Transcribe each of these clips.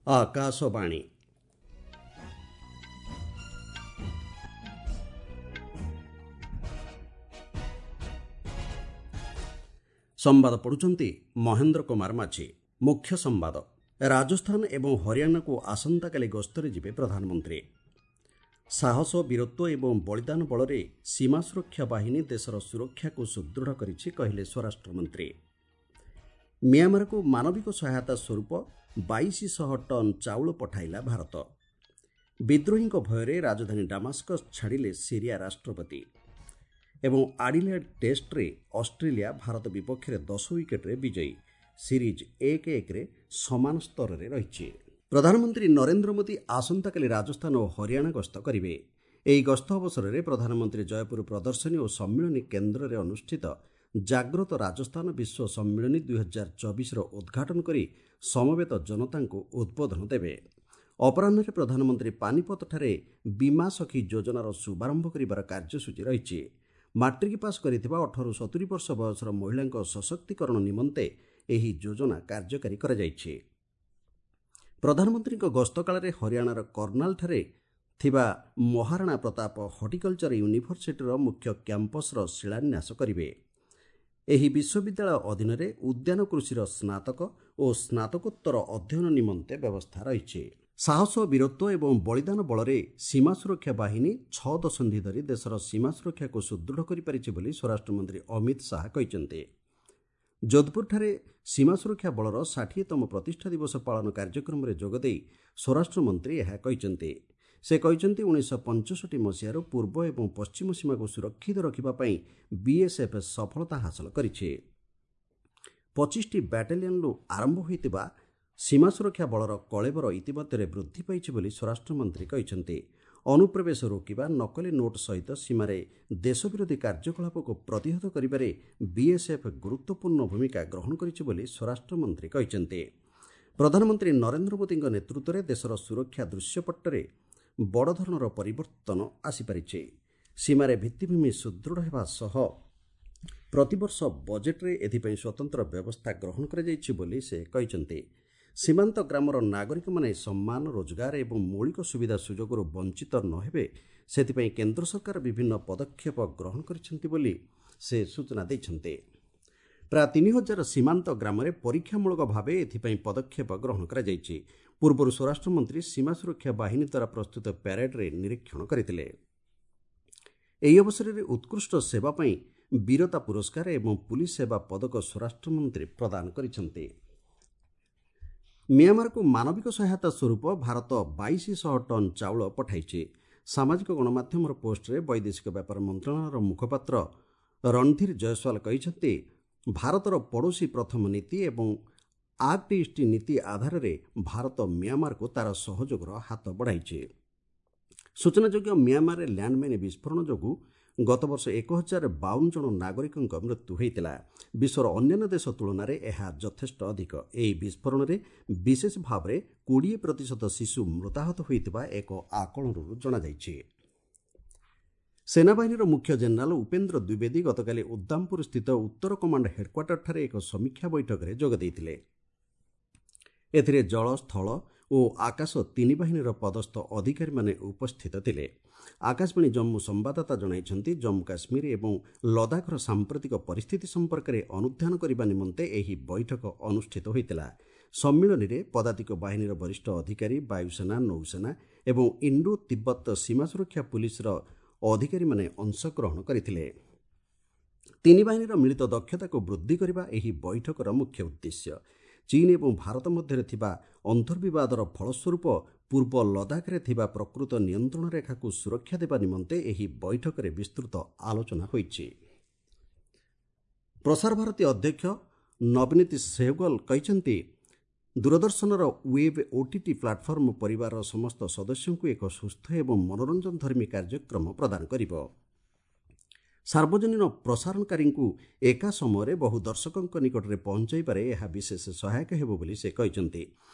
ଆକାଶବାଣୀ। ସମ୍ବାଦ ପଢ଼ୁଛନ୍ତି ମହେନ୍ଦ୍ର କୁମାର ମାଝୀ। ମୁଖ୍ୟ ସମ୍ବାଦ। ରାଜସ୍ଥାନ ଏବଂ ହରିୟାଣାକୁ ଆସନ୍ତାକାଲି ଗସ୍ତରେ ଯିବେ ପ୍ରଧାନମନ୍ତ୍ରୀ। ସାହସ, ବୀରତ୍ୱ ଏବଂ ବଳିଦାନ ବଳରେ ସୀମା ସୁରକ୍ଷା ବାହିନୀ ଦେଶର ସୁରକ୍ଷାକୁ ସୁଦୃଢ଼ କରିଛି, କହିଲେ ସ୍ୱରାଷ୍ଟ୍ରମନ୍ତ୍ରୀ। ମିଆଁମାରକୁ ମାନବିକ ସହାୟତା ସ୍ୱରୂପ 2200 ଟନ୍ ଚାଉଳ ପଠାଇଲା ଭାରତ। ବିଦ୍ରୋହୀଙ୍କ ଭୟରେ ରାଜଧାନୀ ଡାମାସ୍କସ୍ ଛାଡ଼ିଲେ ସିରିଆ ରାଷ୍ଟ୍ରପତି। ଏବଂ ଆଡିଲେଡ୍ ଟେଷ୍ଟରେ ଅଷ୍ଟ୍ରେଲିଆ ଭାରତ ବିପକ୍ଷରେ 10 ୱିକେଟ୍ରେ ବିଜୟୀ। ସିରିଜ୍ 1-1ରେ ସମାନ ସ୍ତରରେ ରହିଛି। ପ୍ରଧାନମନ୍ତ୍ରୀ ନରେନ୍ଦ୍ର ମୋଦି ଆସନ୍ତାକାଲି ରାଜସ୍ଥାନ ଓ ହରିୟାଣା ଗସ୍ତ କରିବେ। ଏହି ଗସ୍ତ ଅବସରରେ ପ୍ରଧାନମନ୍ତ୍ରୀ ଜୟପୁର ପ୍ରଦର୍ଶନୀ ଓ ସମ୍ମିଳନୀ କେନ୍ଦ୍ରରେ ଅନୁଷ୍ଠିତ ଜାଗ୍ରତ ରାଜସ୍ଥାନ ବିଶ୍ୱ ସମ୍ମିଳନୀ 2024ର ଉଦ୍ଘାଟନ କରି ସମବେତ ଜନତାଙ୍କୁ ଉଦ୍ବୋଧନ ଦେବେ। ଅପରାହ୍ନରେ ପ୍ରଧାନମନ୍ତ୍ରୀ ପାନିପତଠାରେ ବୀମା ସଖୀ ଯୋଜନାର ଶୁଭାରମ୍ଭ କରିବାର କାର୍ଯ୍ୟସୂଚୀ ରହିଛି। ମାଟ୍ରିକ ପାସ୍ କରିଥିବା 18ରୁ 70 ବର୍ଷ ବୟସର ମହିଳାଙ୍କ ସଶକ୍ତିକରଣ ନିମନ୍ତେ ଏହି ଯୋଜନା କାର୍ଯ୍ୟକାରୀ କରାଯାଇଛି। ପ୍ରଧାନମନ୍ତ୍ରୀଙ୍କ ଗସ୍ତ କାଳରେ ହରିୟାଣାର କର୍ଣ୍ଣାଲଠାରେ ଥିବା ମହାରାଣା ପ୍ରତାପ ହର୍ଟିକଲଚର ୟୁନିଭର୍ସିଟିର ମୁଖ୍ୟ କ୍ୟାମ୍ପସର ଶିଳାନ୍ୟାସ କରିବେ। ଏହି ବିଶ୍ୱବିଦ୍ୟାଳୟ ଅଧୀନରେ ଉଦ୍ୟାନ କୃଷିର ସ୍ନାତକ ଓ ସ୍ନାତକୋତ୍ତର ଅଧ୍ୟୟନ ନିମନ୍ତେ ବ୍ୟବସ୍ଥା ରହିଛି। ସାହସ, ବୀରତ୍ୱ ଏବଂ ବଳିଦାନ ବଳରେ ସୀମା ସୁରକ୍ଷା ବାହିନୀ 6 ଦଶନ୍ଧି ଧରି ଦେଶର ସୀମା ସୁରକ୍ଷାକୁ ସୁଦୃଢ଼ କରିପାରିଛି ବୋଲି ସ୍ୱରାଷ୍ଟ୍ରମନ୍ତ୍ରୀ ଅମିତ ଶାହା କହିଛନ୍ତି। ଯୋଧପୁରଠାରେ ସୀମା ସୁରକ୍ଷା ବଳର 60ତମ ପ୍ରତିଷ୍ଠା ଦିବସ ପାଳନ କାର୍ଯ୍ୟକ୍ରମରେ ଯୋଗଦେଇ ସ୍ୱରାଷ୍ଟ୍ରମନ୍ତ୍ରୀ ଏହା କହିଛନ୍ତି। ସେ କହିଛନ୍ତି, 1965 ମସିହାରୁ ପୂର୍ବ ଏବଂ ପଶ୍ଚିମ ସୀମାକୁ ସୁରକ୍ଷିତ ରଖିବା ପାଇଁ ବିଏସ୍ଏଫ୍ ସଫଳତା ହାସଲ କରିଛି। 25ଟି ବାଟାଲିୟନରୁ ଆରମ୍ଭ ହୋଇଥିବା ସୀମା ସୁରକ୍ଷା ବଳର କଳେବର ଇତିମଧ୍ୟରେ ବୃଦ୍ଧି ପାଇଛି ବୋଲି ସ୍ୱରାଷ୍ଟ୍ରମନ୍ତ୍ରୀ କହିଛନ୍ତି। ଅନୁପ୍ରବେଶ ରୋକିବା, ନକଲି ନୋଟ୍ ସହିତ ସୀମାରେ ଦେଶ ବିରୋଧୀ କାର୍ଯ୍ୟକଳାପକୁ ପ୍ରତିହତ କରିବାରେ ବିଏସ୍ଏଫ୍ ଗୁରୁତ୍ୱପୂର୍ଣ୍ଣ ଭୂମିକା ଗ୍ରହଣ କରିଛି ବୋଲି ସ୍ୱରାଷ୍ଟ୍ରମନ୍ତ୍ରୀ କହିଛନ୍ତି। ପ୍ରଧାନମନ୍ତ୍ରୀ ନରେନ୍ଦ୍ର ମୋଦିଙ୍କ ନେତୃତ୍ୱରେ ଦେଶର ସୁରକ୍ଷା ଦୃଶ୍ୟପଟ୍ଟରେ ବଡ଼ ଧରଣର ପରିବର୍ତ୍ତନ ଆସିପାରିଛି। ସୀମାରେ ଭିତ୍ତିଭୂମି ସୁଦୃଢ଼ ହେବା ସହ ପ୍ରତିବର୍ଷ ବଜେଟ୍ରେ ଏଥିପାଇଁ ସ୍ୱତନ୍ତ୍ର ବ୍ୟବସ୍ଥା ଗ୍ରହଣ କରାଯାଇଛି ବୋଲି ସେ କହିଛନ୍ତି। ସୀମାନ୍ତ ଗ୍ରାମର ନାଗରିକମାନେ ସମ୍ମାନ, ରୋଜଗାର ଏବଂ ମୌଳିକ ସୁବିଧା ସୁଯୋଗରୁ ବଞ୍ଚିତ ନ ହେବେ, ସେଥିପାଇଁ କେନ୍ଦ୍ର ସରକାର ବିଭିନ୍ନ ପଦକ୍ଷେପ ଗ୍ରହଣ କରିଛନ୍ତି ବୋଲି ସେ ସୂଚନା ଦେଇଛନ୍ତି। ପ୍ରାୟ 3000 ସୀମାନ୍ତ ଗ୍ରାମରେ ପରୀକ୍ଷାମୂଳକ ଭାବେ ଏଥିପାଇଁ ପଦକ୍ଷେପ ଗ୍ରହଣ କରାଯାଇଛି। ପୂର୍ବରୁ ସ୍ୱରାଷ୍ଟ୍ରମନ୍ତ୍ରୀ ସୀମା ସୁରକ୍ଷା ବାହିନୀ ଦ୍ୱାରା ପ୍ରସ୍ତୁତ ପ୍ୟାରେଡ୍ରେ ନିରୀକ୍ଷଣ କରିଥିଲେ। ଏହି ଅବସରରେ ଉତ୍କୃଷ୍ଟ ସେବା ପାଇଁ ବୀରତା ପୁରସ୍କାର ଏବଂ ପୁଲିସ ସେବା ପଦକ ସ୍ୱରାଷ୍ଟ୍ରମନ୍ତ୍ରୀ ପ୍ରଦାନ କରିଛନ୍ତି। ମିଆଁମାରକୁ ମାନବିକ ସହାୟତା ସ୍ୱରୂପ ଭାରତ 2200 ଟନ୍ ଚାଉଳ ପଠାଇଛି। ସାମାଜିକ ଗଣମାଧ୍ୟମର ପୋଷ୍ଟରେ ବୈଦେଶିକ ବ୍ୟାପାର ମନ୍ତ୍ରଣାଳୟର ମୁଖପାତ୍ର ରଣଧୀର ଜୟସ୍ୱାଲ କହିଛନ୍ତି, ଭାରତର ପଡ଼ୋଶୀ ପ୍ରଥମ ନୀତି ଏବଂ ଆକ୍ଟ ଇଷ୍ଟ ନୀତି ଆଧାରରେ ଭାରତ ମିଆଁମାରକୁ ତା'ର ସହଯୋଗର ହାତ ବଢ଼ାଇଛି। ସୂଚନାଯୋଗ୍ୟ, ମିଆଁମାରରେ ଲ୍ୟାଣ୍ଡମାଇନ୍ ବିସ୍ଫୋରଣ ଯୋଗୁଁ ଗତବର୍ଷ 1052 ଜଣ ନାଗରିକଙ୍କ ମୃତ୍ୟୁ ହୋଇଥିଲା। ବିଶ୍ୱର ଅନ୍ୟାନ୍ୟ ଦେଶ ତୁଳନାରେ ଏହା ଯଥେଷ୍ଟ ଅଧିକ। ଏହି ବିସ୍ଫୋରଣରେ ବିଶେଷ ଭାବରେ 20% ଶିଶୁ ମୃତାହତ ହୋଇଥିବା ଏକ ଆକଳନରୁ ଜଣାଯାଇଛି। ସେନାବାହିନୀର ମୁଖ୍ୟ ଜେନେରାଲ ଉପେନ୍ଦ୍ର ଦ୍ୱିବେଦୀ ଗତକାଲି ଉଦ୍ଦାମପୁର ସ୍ଥିତ ଉତ୍ତର କମାଣ୍ଡ ହେଡ୍କ୍ୱାର୍ଟରଠାରେ ଏକ ସମୀକ୍ଷା ବୈଠକରେ ଯୋଗ ଦେଇଥିଲେ। ଏଥିରେ ଜଳ, ସ୍ଥଳ ଓ ଆକାଶ ତିନି ବାହିନୀର ପଦସ୍ଥ ଅଧିକାରୀମାନେ ଉପସ୍ଥିତ ଥିଲେ। ଆକାଶବାଣୀ ଜମ୍ମୁ ସମ୍ବାଦଦାତା ଜଣାଇଛନ୍ତି, ଜମ୍ମୁ କାଶ୍ମୀର ଏବଂ ଲଦାଖର ସାମ୍ପ୍ରତିକ ପରିସ୍ଥିତି ସମ୍ପର୍କରେ ଅନୁଧ୍ୟାନ କରିବା ନିମନ୍ତେ ଏହି ବୈଠକ ଅନୁଷ୍ଠିତ ହୋଇଥିଲା। ସମ୍ମିଳନୀରେ ପଦାତିକ ବାହିନୀର ବରିଷ୍ଠ ଅଧିକାରୀ, ବାୟୁସେନା, ନୌସେନା ଏବଂ ଇଣ୍ଡୋ ତିବ୍ବତ ସୀମା ସୁରକ୍ଷା ପୁଲିସର ଅଧିକାରୀମାନେ ଅଂଶଗ୍ରହଣ କରିଥିଲେ। ତିନି ବାହିନୀର ମିଳିତ ଦକ୍ଷତାକୁ ବୃଦ୍ଧି କରିବା ଏହି ବୈଠକର ମୁଖ୍ୟ ଉଦ୍ଦେଶ୍ୟ। ଚୀନ୍ ଏବଂ ଭାରତ ମଧ୍ୟରେ ଥିବା ଅନ୍ତର୍ବିବାଦର ଫଳସ୍ୱରୂପ ପୂର୍ବ ଲଦାଖରେ ଥିବା ପ୍ରକୃତ ନିୟନ୍ତ୍ରଣ ରେଖାକୁ ସୁରକ୍ଷା ଦେବା ନିମନ୍ତେ ଏହି ବୈଠକରେ ବିସ୍ତୃତ ଆଲୋଚନା ହୋଇଛି। ପ୍ରସାର ଭାରତୀ ଅଧ୍ୟକ୍ଷ ନବନୀତ ସେହଗଲ କହିଛନ୍ତି, ଦୂରଦର୍ଶନର ୱେବ୍ ଓଟିଟି ପ୍ଲାଟଫର୍ମ ପରିବାରର ସମସ୍ତ ସଦସ୍ୟଙ୍କୁ ଏକ ସୁସ୍ଥ ଏବଂ ମନୋରଞ୍ଜନଧର୍ମୀ କାର୍ଯ୍ୟକ୍ରମ ପ୍ରଦାନ କରିବ। ସାର୍ବଜନୀନ ପ୍ରସାରଣକାରୀଙ୍କୁ ଏକା ସମୟରେ ବହୁ ଦର୍ଶକଙ୍କ ନିକଟରେ ପହଞ୍ଚାଇବାରେ ଏହା ବିଶେଷ ସହାୟକ ହେବ ବୋଲି ସେ କହିଛନ୍ତି।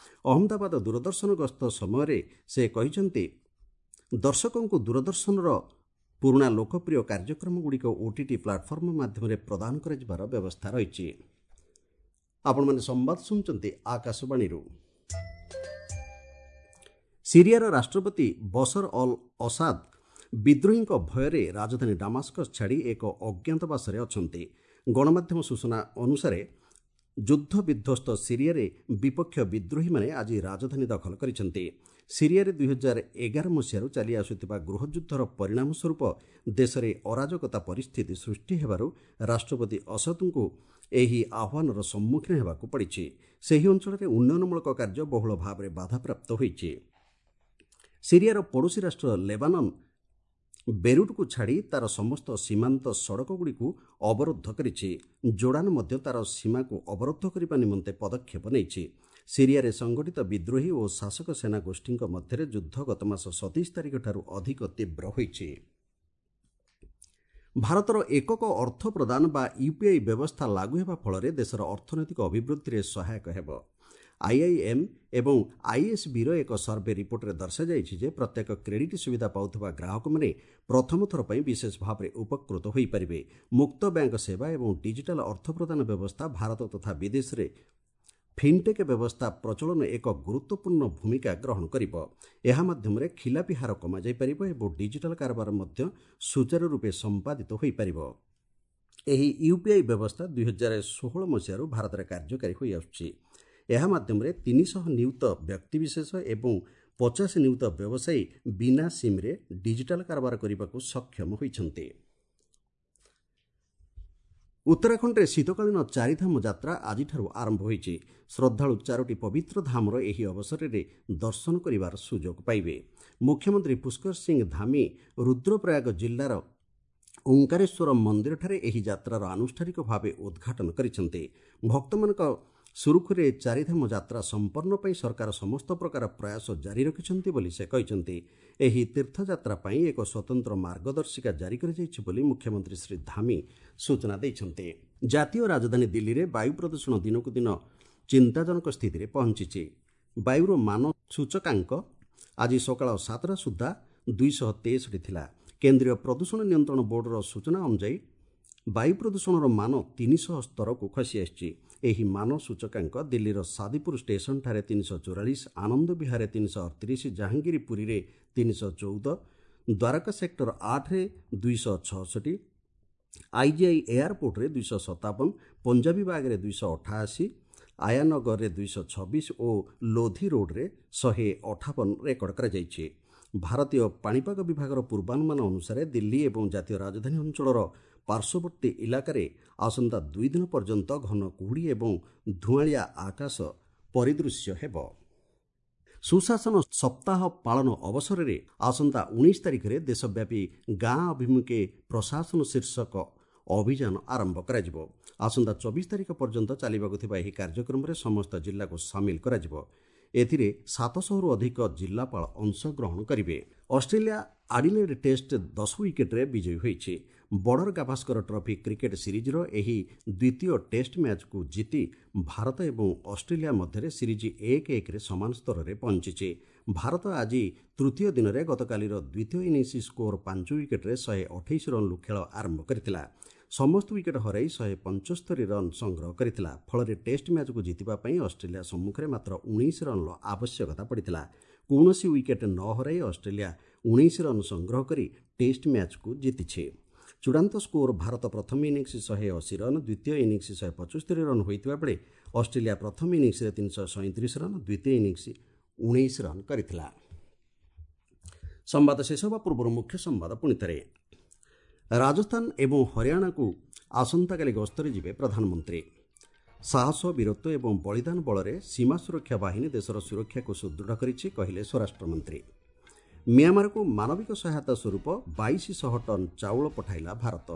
ଅହମ୍ମଦାବାଦ ଦୂରଦର୍ଶନ ଗସ୍ତ ସମୟରେ ସେ କହିଛନ୍ତି, ଦର୍ଶକଙ୍କୁ ଦୂରଦର୍ଶନର ପୁରୁଣା ଲୋକପ୍ରିୟ କାର୍ଯ୍ୟକ୍ରମଗୁଡ଼ିକ ଓଟିଟି ପ୍ଲାଟଫର୍ମ ମାଧ୍ୟମରେ ପ୍ରଦାନ କରାଯିବାର ବ୍ୟବସ୍ଥା ରହିଛି। ଆପଣମାନେ ସମ୍ବାଦ ଶୁଣୁଛନ୍ତି ଆକାଶବାଣୀରୁ। ସିରିଆର ରାଷ୍ଟ୍ରପତି ବସର ଅଲ୍ ଅସାଦ ବିଦ୍ରୋହୀଙ୍କ ଭୟରେ ରାଜଧାନୀ ଡାମାସ୍କସ୍ ଛାଡ଼ି ଏକ ଅଜ୍ଞାତବାସରେ ଅଛନ୍ତି। ଗଣମାଧ୍ୟମ ସୂଚନା ଅନୁସାରେ ଯୁଦ୍ଧ ବିଧ୍ୱସ୍ତ ସିରିଆରେ ବିପକ୍ଷ ବିଦ୍ରୋହୀମାନେ ଆଜି ରାଜଧାନୀ ଦଖଲ କରିଛନ୍ତି। ସିରିଆରେ 2011 ମସିହାରୁ ଚାଲି ଆସୁଥିବା ଗୃହଯୁଦ୍ଧର ପରିଣାମ ସ୍ୱରୂପ ଦେଶରେ ଅରାଜକତା ପରିସ୍ଥିତି ସୃଷ୍ଟି ହେବାରୁ ରାଷ୍ଟ୍ରପତି ଅସଦଙ୍କୁ ଏହି ଆହ୍ୱାନର ସମ୍ମୁଖୀନ ହେବାକୁ ପଡ଼ିଛି। ସେହି ଅଞ୍ଚଳରେ ଉନ୍ନୟନମୂଳକ କାର୍ଯ୍ୟ ବହୁଳ ଭାବରେ ବାଧାପ୍ରାପ୍ତ ହୋଇଛି। ସିରିଆର ପଡ଼ୋଶୀ ରାଷ୍ଟ୍ର ଲେବାନନ୍ ବେରୁଟ୍କୁ ଛାଡ଼ି ତା'ର ସମସ୍ତ ସୀମାନ୍ତ ସଡ଼କଗୁଡ଼ିକୁ ଅବରୋଧ କରିଛି। ଜୋର୍ଡାନ ମଧ୍ୟ ତା'ର ସୀମାକୁ ଅବରୋଧ କରିବା ନିମନ୍ତେ ପଦକ୍ଷେପ ନେଇଛି। ସିରିଆରେ ସଂଗଠିତ ବିଦ୍ରୋହୀ ଓ ଶାସକ ସେନା ଗୋଷ୍ଠୀଙ୍କ ମଧ୍ୟରେ ଯୁଦ୍ଧ ଗତମାସ 27 ତାରିଖଠାରୁ ଅଧିକ ତୀବ୍ର ହୋଇଛି। ଭାରତର ଏକକ ଅର୍ଥ ପ୍ରଦାନ ବା ୟୁପିଆଇ ବ୍ୟବସ୍ଥା ଲାଗୁ ହେବା ଫଳରେ ଦେଶର ଅର୍ଥନୈତିକ ଅଭିବୃଦ୍ଧିରେ ସହାୟକ ହେବ। ଆଇଆଇଏମ୍ ଏବଂ ଆଇଏସ୍ବିର ଏକ ସର୍ଭେ ରିପୋର୍ଟରେ ଦର୍ଶାଯାଇଛି ଯେ ପ୍ରତ୍ୟେକ କ୍ରେଡିଟ୍ ସୁବିଧା ପାଉଥିବା ଗ୍ରାହକମାନେ ପ୍ରଥମ ଥର ପାଇଁ ବିଶେଷ ଭାବରେ ଉପକୃତ ହୋଇପାରିବେ। ମୁକ୍ତ ବ୍ୟାଙ୍କ ସେବା ଏବଂ ଡିଜିଟାଲ ଅର୍ଥ ପ୍ରଦାନ ବ୍ୟବସ୍ଥା ଭାରତ ତଥା ବିଦେଶରେ ଫିନ୍ଟେକ୍ ବ୍ୟବସ୍ଥା ପ୍ରଚଳନ ଏକ ଗୁରୁତ୍ୱପୂର୍ଣ୍ଣ ଭୂମିକା ଗ୍ରହଣ କରିବ। ଏହା ମାଧ୍ୟମରେ ଖିଲାପି ହାର କମାଯାଇପାରିବ ଏବଂ ଡିଜିଟାଲ କାରବାର ମଧ୍ୟ ସୁଚାରୁ ରୂପେ ସମ୍ପାଦିତ ହୋଇପାରିବ। ଏହି ୟୁପିଆଇ ବ୍ୟବସ୍ଥା 2016 ମସିହାରୁ ଭାରତରେ କାର୍ଯ୍ୟକାରୀ ହୋଇଆସୁଛି। ଏହା ମାଧ୍ୟମରେ 300 ନିୟୁତ ବ୍ୟକ୍ତିବିଶେଷ ଏବଂ 50 ନିୟୁତ ବ୍ୟବସାୟୀ ବିନା ସିମ୍ରେ ଡିଜିଟାଲ କାରବାର କରିବାକୁ ସକ୍ଷମ ହୋଇଛନ୍ତି। ଉତ୍ତରାଖଣ୍ଡରେ ଶୀତକାଳୀନ ଚାରିଧାମ ଯାତ୍ରା ଆଜିଠାରୁ ଆରମ୍ଭ ହୋଇଛି। ଶ୍ରଦ୍ଧାଳୁ 4ଟି ପବିତ୍ର ଧାମର ଏହି ଅବସରରେ ଦର୍ଶନ କରିବାର ସୁଯୋଗ ପାଇବେ। ମୁଖ୍ୟମନ୍ତ୍ରୀ ପୁଷ୍କର ସିଂ ଧାମି ରୁଦ୍ରପ୍ରୟାଗ ଜିଲ୍ଲାର ଓଙ୍କାରେଶ୍ୱର ମନ୍ଦିରଠାରେ ଏହି ଯାତ୍ରାର ଆନୁଷ୍ଠାନିକ ଭାବେ ଉଦ୍ଘାଟନ କରିଛନ୍ତି। ଭକ୍ତମାନଙ୍କ ସୁରୁଖୁରୁରେ ଚାରିଧାମ ଯାତ୍ରା ସମ୍ପନ୍ନ ପାଇଁ ସରକାର ସମସ୍ତ ପ୍ରକାର ପ୍ରୟାସ ଜାରି ରଖିଛନ୍ତି ବୋଲି ସେ କହିଛନ୍ତି। ଏହି ତୀର୍ଥଯାତ୍ରା ପାଇଁ ଏକ ସ୍ୱତନ୍ତ୍ର ମାର୍ଗଦର୍ଶିକା ଜାରି କରାଯାଇଛି ବୋଲି ମୁଖ୍ୟମନ୍ତ୍ରୀ ଶ୍ରୀ ଧାମି ସୂଚନା ଦେଇଛନ୍ତି। ଜାତୀୟ ରାଜଧାନୀ ଦିଲ୍ଲୀରେ ବାୟୁ ପ୍ରଦୂଷଣ ଦିନକୁ ଦିନ ଚିନ୍ତାଜନକ ସ୍ଥିତିରେ ପହଞ୍ଚିଛି। ବାୟୁର ମାନ ସୂଚକାଙ୍କ ଆଜି ସକାଳ 7ଟା ସୁଦ୍ଧା 263 ଥିଲା। କେନ୍ଦ୍ରୀୟ ପ୍ରଦୂଷଣ ନିୟନ୍ତ୍ରଣ ବୋର୍ଡର ସୂଚନା ଅନୁଯାୟୀ ବାୟୁ ପ୍ରଦୂଷଣର ମାନ 300 ସ୍ତରକୁ ଖସି ଆସିଛି। ଏହି ମାନ ସୂଚକାଙ୍କ ଦିଲ୍ଲୀର ସାଦିପୁର ଷ୍ଟେସନଠାରେ 344, ଆନନ୍ଦ ବିହାରରେ 338, ଜାହାଙ୍ଗୀରପୁରୀରେ 314, ଦ୍ୱାରକା ସେକ୍ଟର 8ରେ 266, ଆଇଜିଆଇ ଏୟାରପୋର୍ଟରେ 257, ପଞ୍ଜାବୀ ବାଗରେ 288, ଆୟାନଗରରେ 226 ଓ ଲୋଧି ରୋଡ୍ରେ 158 ରେକର୍ଡ କରାଯାଇଛି। ଭାରତୀୟ ପାଣିପାଗ ବିଭାଗର ପୂର୍ବାନୁମାନ ଅନୁସାରେ ଦିଲ୍ଲୀ ଏବଂ ଜାତୀୟ ରାଜଧାନୀ ଅଞ୍ଚଳର ପାର୍ଶ୍ୱବର୍ତ୍ତୀ ଇଲାକାରେ ଆସନ୍ତା 2 ଦିନ ପର୍ଯ୍ୟନ୍ତ ଘନ କୁହୁଡ଼ି ଏବଂ ଧୂଆଁଳିଆ ଆକାଶ ପରିଦୃଶ୍ୟ ହେବ। ସୁଶାସନ ସପ୍ତାହ ପାଳନ ଅବସରରେ ଆସନ୍ତା 19 ତାରିଖରେ ଦେଶବ୍ୟାପୀ ଗାଁ ଅଭିମୁଖେ ପ୍ରଶାସନ ଶୀର୍ଷକ ଅଭିଯାନ ଆରମ୍ଭ କରାଯିବ। ଆସନ୍ତା 24 ତାରିଖ ପର୍ଯ୍ୟନ୍ତ ଚାଲିବାକୁ ଥିବା ଏହି କାର୍ଯ୍ୟକ୍ରମରେ ସମସ୍ତ ଜିଲ୍ଲାକୁ ସାମିଲ କରାଯିବ। ଏଥିରେ 700ରୁ ଅଧିକ ଜିଲ୍ଲାପାଳ ଅଂଶଗ୍ରହଣ କରିବେ। ଅଷ୍ଟ୍ରେଲିଆ ଆଡିଲେଡ୍ ଟେଷ୍ଟ 10 ୱିକେଟ୍ରେ ବିଜୟୀ ହୋଇଛି। ବର୍ଡର ଗାଭାସ୍କର ଟ୍ରଫି କ୍ରିକେଟ୍ ସିରିଜ୍ର ଏହି ଦ୍ୱିତୀୟ ଟେଷ୍ଟ ମ୍ୟାଚ୍କୁ ଜିତି ଭାରତ ଏବଂ ଅଷ୍ଟ୍ରେଲିଆ ମଧ୍ୟରେ ସିରିଜ୍ 1-1ରେ ସମାନ ସ୍ତରରେ ପହଞ୍ଚିଛି। ଭାରତ ଆଜି ତୃତୀୟ ଦିନରେ ଗତକାଲିର ଦ୍ୱିତୀୟ ଇନିଂସ ସ୍କୋର 5 ୱିକେଟ୍ରେ 128 ରନ୍ରୁ ଖେଳ ଆରମ୍ଭ କରିଥିଲା। ସମସ୍ତ ୱିକେଟ୍ ହରାଇ 175 ରନ୍ ସଂଗ୍ରହ କରିଥିଲା। ଫଳରେ ଟେଷ୍ଟ ମ୍ୟାଚ୍କୁ ଜିତିବା ପାଇଁ ଅଷ୍ଟ୍ରେଲିଆ ସମ୍ମୁଖରେ ମାତ୍ର 19 ରନ୍ର ଆବଶ୍ୟକତା ପଡ଼ିଥିଲା। କୌଣସି ୱିକେଟ୍ ନ ହରାଇ ଅଷ୍ଟ୍ରେଲିଆ 19 ରନ୍ ସଂଗ୍ରହ କରି ଟେଷ୍ଟ ମ୍ୟାଚ୍କୁ ଜିତିଛି। ଚୂଡ଼ାନ୍ତ ସ୍କୋର ଭାରତ ପ୍ରଥମ ଇନିଂସ 180 ରନ୍, ଦ୍ୱିତୀୟ ଇନିଂସ 175 ରନ୍ ହୋଇଥିବା ବେଳେ ଅଷ୍ଟ୍ରେଲିଆ ପ୍ରଥମ ଇନିଂସରେ 337 ରନ୍, ଦ୍ୱିତୀୟ ଇନିଂସ 19 ରନ୍ କରିଥିଲା। ସମ୍ବାଦ ଶେଷ ହେବା ପୂର୍ବରୁ ମୁଖ୍ୟ ସମ୍ବାଦ ପୁଣିଥରେ। ରାଜସ୍ଥାନ ଏବଂ ହରିୟାଣାକୁ ଆସନ୍ତାକାଲି ଗସ୍ତରେ ଯିବେ ପ୍ରଧାନମନ୍ତ୍ରୀ। ସାହସ, ବୀରତ୍ୱ ଏବଂ ବଳିଦାନ ବଳରେ ସୀମା ସୁରକ୍ଷା ବାହିନୀ ଦେଶର ସୁରକ୍ଷାକୁ ସୁଦୃଢ଼ କରିଛି, କହିଲେ ସ୍ୱରାଷ୍ଟ୍ରମନ୍ତ୍ରୀ। ମିଆଁମାରକୁ ମାନବିକ ସହାୟତା ସ୍ୱରୂପ 2200 ଟନ୍ ଚାଉଳ ପଠାଇଲା ଭାରତ।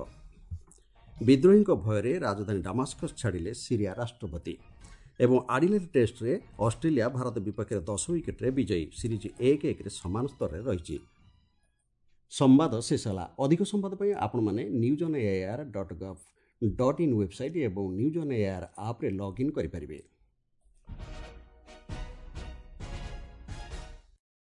ବିଦ୍ରୋହୀଙ୍କ ଭୟରେ ରାଜଧାନୀ ଡାମାସ୍କସ୍ ଛାଡ଼ିଲେ ସିରିଆ ରାଷ୍ଟ୍ରପତି। ଏବଂ ଆଡିଲେଡ୍ ଟେଷ୍ଟରେ ଅଷ୍ଟ୍ରେଲିଆ ଭାରତ ବିପକ୍ଷରେ 10 ୱିକେଟ୍ରେ ବିଜୟୀ। ସିରିଜ୍ 1-1ରେ ସମାନ ସ୍ତରରେ ରହିଛି। ସମ୍ବାଦ ଶେଷ ହେଲା। ଅଧିକ ସମ୍ବାଦ ପାଇଁ ଆପଣମାନେ news on AIR dot gov dot in website ଏବଂ ନ୍ୟୁଜ୍ ଅନ୍ ଏଆଇଆର୍ ଆପ୍ରେ ଲଗ୍ଇନ୍ କରିପାରିବେ।